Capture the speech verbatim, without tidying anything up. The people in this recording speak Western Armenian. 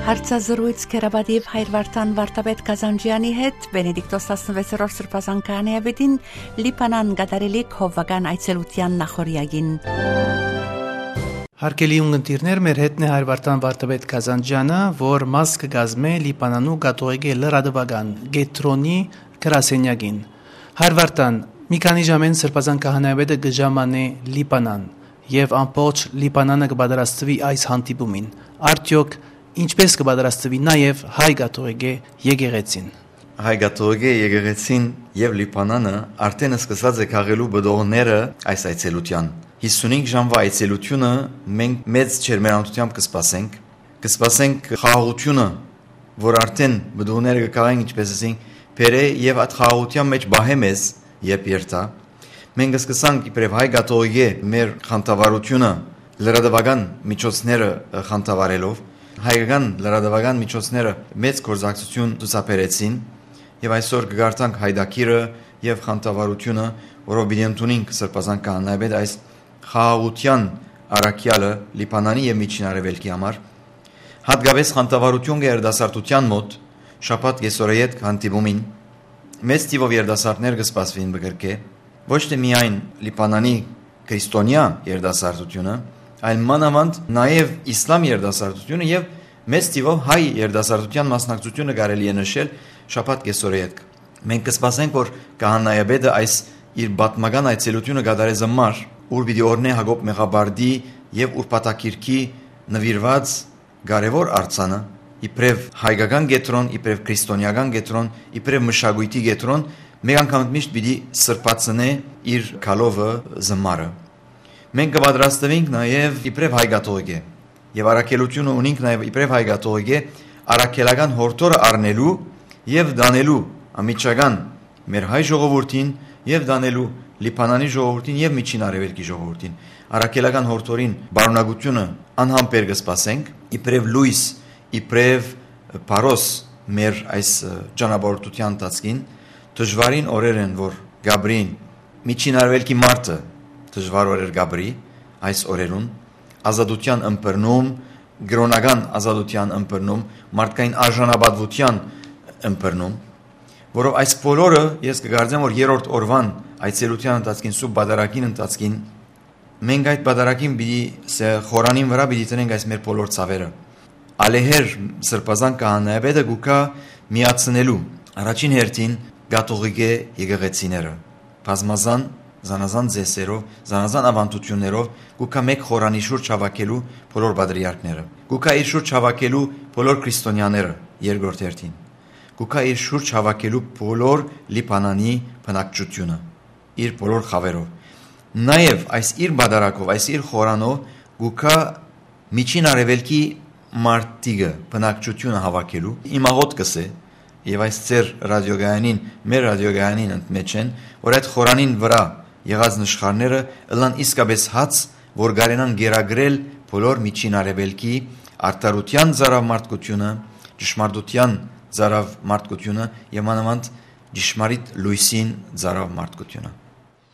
Հարցազրոյց Քերապատիւ Հայր Վարդան Վարդապետ Կազանջեանի հետ Վենեդիկտոս տասնվեցերորդ Սրբազան քահանայապետին Լիբանան կատարելիք հովուական այցելութեան նախօրեակին։ Հարգելի ունգընտիրներ, մեր հետն է Հայր Վարդան Վարդապետ Կազանջեանը, որ մաս կը կազմէ Լիբանանու կաթողիկէ լրատուական կեդրոնի գրասենյակին։ Հայր Վարդան, մի քանի ժամէն Սրբազան քահանայապետը կը ժամանէ Լիբանան եւ ամբողջ Լիբանանը կը պատրաստուի այս հանդիպումին։ Արդեօք ինչպէս կը պատրաստուի նաեւ հայ կաթողիկէ եկեղեցին։ Հայ կաթողիկէ եկեղեցին եւ Լիբանանը արդէն սկսած է քաղելու պտուղները այս այցելութեան։ Հիսունհինգ ժամվա այցելութիւնը մենք մեծ ջերմերանութեամբ կը սպասենք։ Կը սպասենք խաղաղութիւնը, որ արդէն պտուղները կը քաղեն, ինչպէս ասենք, բերէ եւ այդ խաղաղութեան մէջ պահէ մեզ, երբ երթայ։ Մենք կը սկսանք իբրեւ հայ կաթողիկէ մեր խանդավառութիւնը լրատուական միջոցները խանդավառելով, հայկական լրատուական միջոցները մեծ գործակցութիւն ցուցաբերեցին եւ այսօր կը կարդանք Հայդակիրը եւ խանդավառութիւնը, որով պիտի ընդունինք Սրբազան քահանայապետ այս խաղաղութեան առաքեալը Լիբանանի եւ Միջին Արեւելքի համար։ Հատկապէս խանդավառութիւն կը երիտասարդութեան մօտ շաբաթ կեսօրը ետք հանդիպումին մեծ թիւով երիտասարդներ կը սպասուին Բկրկէ, ոչ թէ միայն Լիբանանի քրիստոնեայ երիտասարդութիւնը, այլ մանաւանդ նաեւ իսլամ երիտասարդութիւնը եւ մեծ թիւով հայ երիտասարդութեան մասնակցութիւնը կարելի է նշել շաբաթ կեսօրը ետք։ Մենք կը սպասենք, որ քահանայապետը այս իր պատմական այցելութիւնը կատարէ Զմար, ուր պիտի օրհնէ Յակոբ Մեղապարտի եւ Ուրբաթագիրքի նուիրուած կարեւոր արձանը, իբրեւ հայկական կեդրոն, իբրեւ քրիստոնեական կեդրոն, իբրեւ մշակոյթի կեդրոն, մեկ անգամ միշտ պիտի սրբացնէ իր գալովը Զմարը։ Մենք կը պատրաստուինք նաեւ իբրեւ հայ կաթողիկէ եւ առաքելութիւնը ունինք նաեւ իբրեւ հայ կաթողիկէ առաքելական յորդորը առնելու եւ տանելու անմիջական մեր հայ ժողովուրդին եւ տանելու Լիբանանի ժողովուրդին եւ Միջին Արեւելքի ժողովուրդին։ Առաքելական յորդորին պարունակութիւնը անհամբեր կը սպասենք, իբրեւ լոյս, իբրեւ փարոս մեր այս, ը, ճանապարհորդութեան ընթացքին, դժուարին օրեր են, որ կապրին Միջին Արեւելքի մարդը, դժուար օրեր կապրի այս օրերուն, ազատութեան ըմբռնում, կրօնական ազատութեան ըմբռնում, մարդկային արժանապատվութեան ըմբռնում, որով այս բոլորը, ես կկարծեմ, որ երրորդ օրուան այցելութեան ընթացքին, սուրբ պատարագին ընթացքին, մենք այդ պատարագին պիտի, սա խորանին վրայ պիտի դնենք այս մեր բոլոր ցաւերը։ Ալեհեր Սրբազան քահանայապետը կու գայ միացնելու առաջին հերթին կաթողիկէ եկեղեցիները, բազմազան, զանազան ծեսերով, զանազան աւանդութիւններով կու գայ մէկ խորանի շուրջ հաւաքելու բոլոր պատրիարքները, կու գայ իր շուրջ հաւաքելու բոլոր քրիստոնեաները երկրորդ հերթին, կու գայ իր շուրջ հաւաքելու բոլոր Լիբանանի բնակչութիւնը, իր բոլոր խաւերով։ Նաեւ այս իր պատարագով, այս իր խորանով կու գայ Միջին Արեւելքի մարդիկը, բնակչութիւնը հաւաքելու։ Իմ աղօթքս է, եւ այս ձեր ռադիոգայանին, մեր ռադիոգայանին ընդմէջ են, որ այդ խորանին վրայ եղած նշխարները ըլլան իսկապէս հաց, որ կարենան կերակրել բոլոր Միջին Արեւելքի արդարութեան ծարաւ մարդկութիւնը, ճշմարտութեան ծարաւ մարդկութիւնը եւ մանաւանդ ճշմարիտ լոյսին ծարաւ մարդկութիւնը։